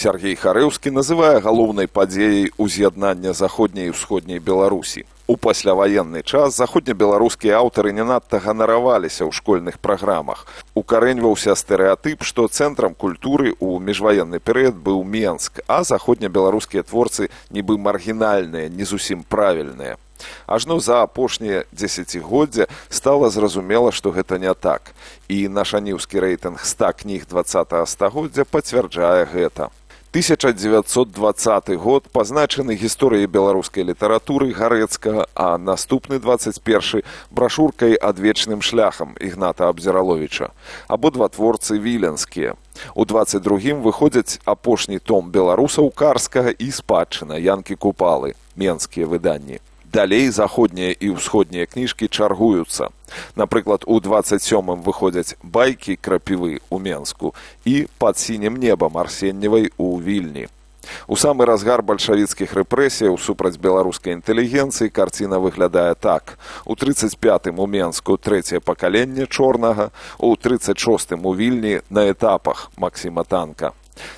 Сяргей Харэўскі называе галоўнай падзеяй уз'яднання заходняй і ўсходняй Беларусі. У пасляваенны час заходнебеларускія аўтары не надта ганараваліся ў школьных праграмах. Укарэньваўся стэрэатып, што цэнтрам культуры ў міжваенны перыяд быў Менск, а заходнебеларускія творцы нібы маргінальныя, не зусім правільныя. Ажно за апошнія дзесяцігоддзя стала зразумела, што гэта не так. І наш аніўскі рэйтынг 100 кніг 20-го стагоддзя пацвярджае гэта. 1920 год пазначаны гісторыяй беларускай літаратуры Гарэцкага, а наступны 21 брашуркай «Адвечным шляхам» Ігната Абдзіраловіча. Абодва творцы віленскія. У 22-м выходзяць апошні том беларусаў Карскага і спадчына Янкі Купалы, менскія выданні. Далей заходнія і ўсходнія кніжкі чаргуюцца. Напрыклад, у 27-м выходзяць байкі Крапівы ў Менску і «Пад сінім небам» Арсеньевай у Вільні. У самы разгар бальшавіцкіх рэпрэсіяў супраць беларускай інтэлігенцыі карціна выглядае так. У 35-м у Менску трэцяе пакаленне Чорнага, у 36-м у Вільні на этапах Максіма Танка.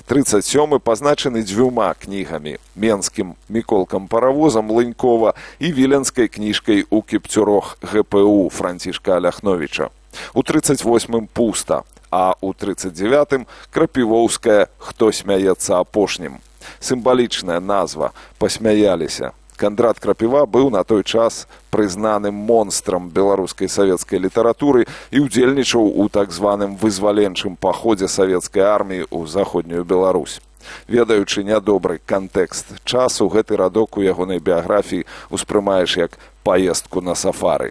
37-й пазначаны дзвюма кнігамі – менскім Міколкам-паравозам Лынькова і віленскай кніжкай у Кіпцюрох ГПУ Францішка Аляхновіча. У 38-м пуста, а у 39-м крапівоўская «Хто смяецца апошнім». Сімвалічная назва «Пасмяяліся». Кандрат Крапіва быў на той час прызнаным монстрам беларускай савецкай літаратуры і ўдзельнічаў у так званым вызваленчым паходзе савецкай арміі ў заходнюю Беларусь. Ведаючы нядобры кантэкст часу, гэты радок у ягонай біяграфіі ўспрымаеш як паездку на сафары.